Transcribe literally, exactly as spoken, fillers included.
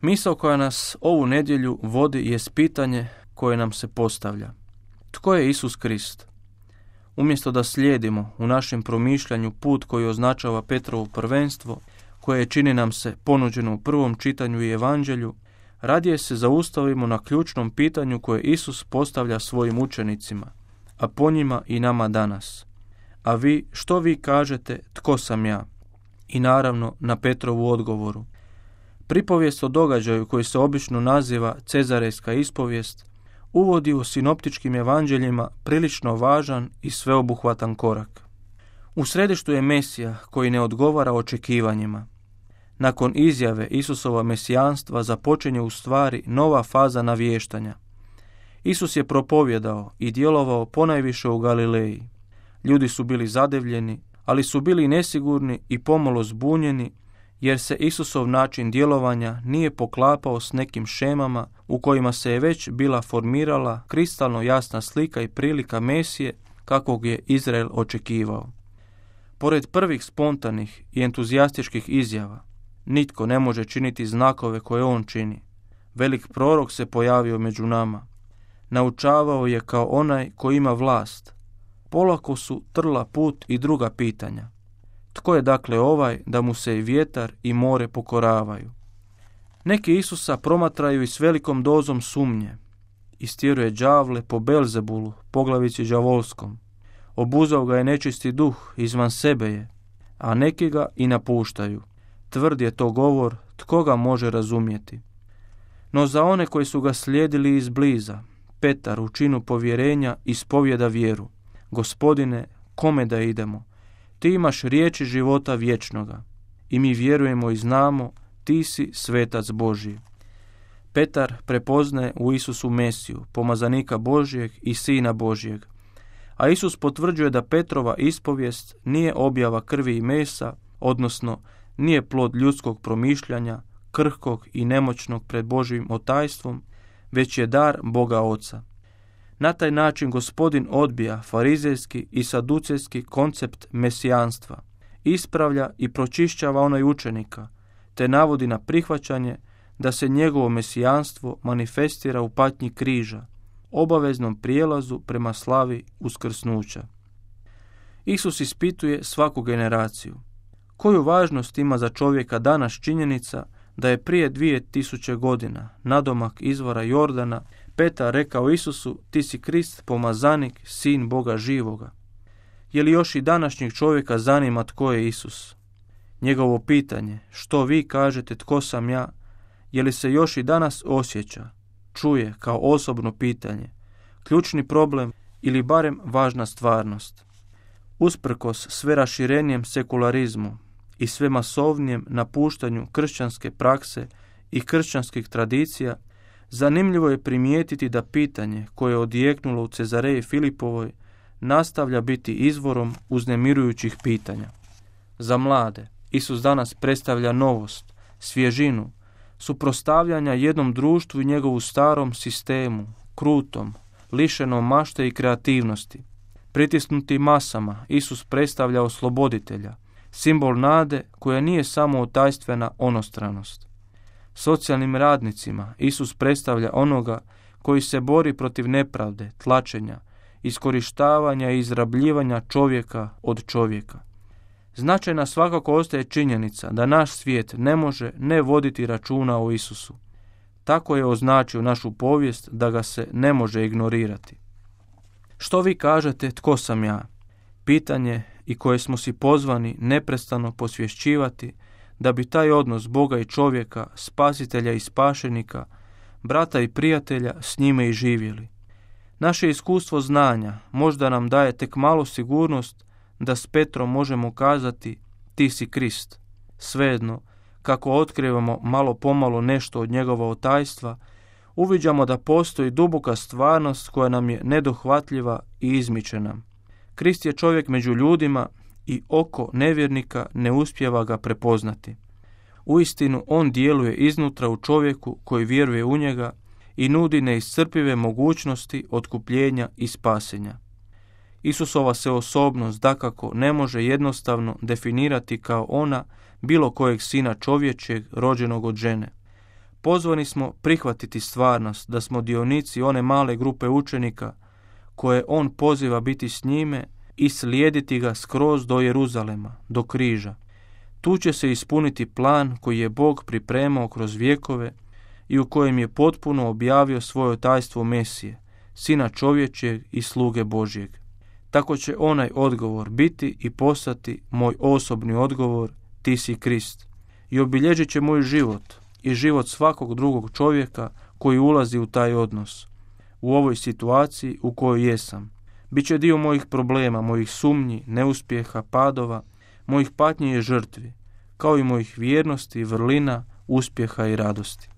Misao koja nas ovu nedjelju vodi jest pitanje koje nam se postavlja. Tko je Isus Krist? Umjesto da slijedimo u našem promišljanju put koji označava Petrovo prvenstvo, koje čini nam se ponuđeno u prvom čitanju i evanđelju, radije se zaustavimo na ključnom pitanju koje Isus postavlja svojim učenicima, a po njima i nama danas. A vi, što vi kažete, tko sam ja? I naravno na Petrovu odgovoru. Pripovijest o događaju koji se obično naziva Cezarejska ispovijest uvodi u sinoptičkim evanđeljima prilično važan i sveobuhvatan korak. U središtu je Mesija koji ne odgovara očekivanjima. Nakon izjave Isusova mesijanstva započinje u stvari nova faza navještanja. Isus je propovjedao i djelovao ponajviše u Galileji. Ljudi su bili zadivljeni, ali su bili nesigurni i pomalo zbunjeni, jer se Isusov način djelovanja nije poklapao s nekim šemama u kojima se je već bila formirala kristalno jasna slika i prilika Mesije kakvog je Izrael očekivao. Pored prvih spontanih i entuzijastičkih izjava, nitko ne može činiti znakove koje on čini. Velik prorok se pojavio među nama. Naučavao je kao onaj koji ima vlast. Polako su trla put i druga pitanja. Tko je dakle ovaj da mu se i vjetar i more pokoravaju? Neki Isusa promatraju i s velikom dozom sumnje. Istjeruje đavle po Belzebulu, poglavici đavolskom. Obuzao ga je nečisti duh, izvan sebe je, a neki ga i napuštaju. Tvrd je to govor, tko ga može razumjeti? No za one koji su ga slijedili izbliza, Petar u činu povjerenja ispovjeda vjeru. Gospodine, kome da idemo? Ti imaš riječi života vječnoga i mi vjerujemo i znamo, ti si svetac Božji. Petar prepoznaje u Isusu Mesiju, pomazanika Božjeg i Sina Božjeg, a Isus potvrđuje da Petrova ispovijest nije objava krvi i mesa, odnosno nije plod ljudskog promišljanja, krhkog i nemoćnog pred Božjim otajstvom, već je dar Boga Oca. Na taj način Gospodin odbija farizejski i saducejski koncept mesijanstva, ispravlja i pročišćava onaj učenika, te navodi na prihvaćanje da se njegovo mesijanstvo manifestira u patnji križa, obaveznom prijelazu prema slavi uskrsnuća. Isus ispituje svaku generaciju. Koju važnost ima za čovjeka danas činjenica da je prije dvije tisuće godina, nadomak izvora Jordana, Petar rekao Isusu, ti si Krist, pomazanik, sin Boga živoga. Je li još i današnjeg čovjeka zanima tko je Isus? Njegovo pitanje, što vi kažete tko sam ja, je li se još i danas osjeća, čuje kao osobno pitanje, ključni problem ili barem važna stvarnost? Usprkos sve raširenijem sekularizmu i sve masovnijem napuštanju kršćanske prakse i kršćanskih tradicija, zanimljivo je primijetiti da pitanje koje je odjeknulo u Cezareji Filipovoj nastavlja biti izvorom uznemirujućih pitanja. Za mlade Isus danas predstavlja novost, svježinu, suprotstavljanja jednom društvu i njegovu starom sistemu, krutom, lišenom mašte i kreativnosti. Pritisnuti masama, Isus predstavlja osloboditelja, simbol nade koja nije samo otajstvena onostranost. Socijalnim radnicima Isus predstavlja onoga koji se bori protiv nepravde, tlačenja, iskorištavanja i izrabljivanja čovjeka od čovjeka. Značajna svakako ostaje činjenica da naš svijet ne može ne voditi računa o Isusu. Tako je označio našu povijest da ga se ne može ignorirati. Što vi kažete tko sam ja? Pitanje i koje smo si pozvani neprestano posvješćivati da bi taj odnos Boga i čovjeka, spasitelja i spašenika, brata i prijatelja s njime i živjeli. Naše iskustvo znanja možda nam daje tek malo sigurnost da s Petrom možemo kazati ti si Krist. Svejedno, kako otkrivamo malo pomalo nešto od njegova otajstva, uviđamo da postoji duboka stvarnost koja nam je nedohvatljiva i izmiče nam. Krist je čovjek među ljudima i oko nevjernika ne uspijeva ga prepoznati. Uistinu on djeluje iznutra u čovjeku koji vjeruje u njega i nudi neiscrpive mogućnosti otkupljenja i spasenja. Isusova se osobnost dakako ne može jednostavno definirati kao ona bilo kojeg sina čovječeg rođenog od žene. Pozvani smo prihvatiti stvarnost da smo dionici one male grupe učenika koje on poziva biti s njime i slijediti ga skroz do Jeruzalema, do križa. Tu će se ispuniti plan koji je Bog pripremao kroz vjekove i u kojem je potpuno objavio svoje tajstvo Mesije, Sina čovječjeg i sluge Božjeg. Tako će onaj odgovor biti i postati moj osobni odgovor, ti si Krist. I obilježit će moj život i život svakog drugog čovjeka koji ulazi u taj odnos. U ovoj situaciji u kojoj jesam. Biće dio mojih problema, mojih sumnji, neuspjeha, padova, mojih patnji i žrtvi, kao i mojih vjernosti, vrlina, uspjeha i radosti.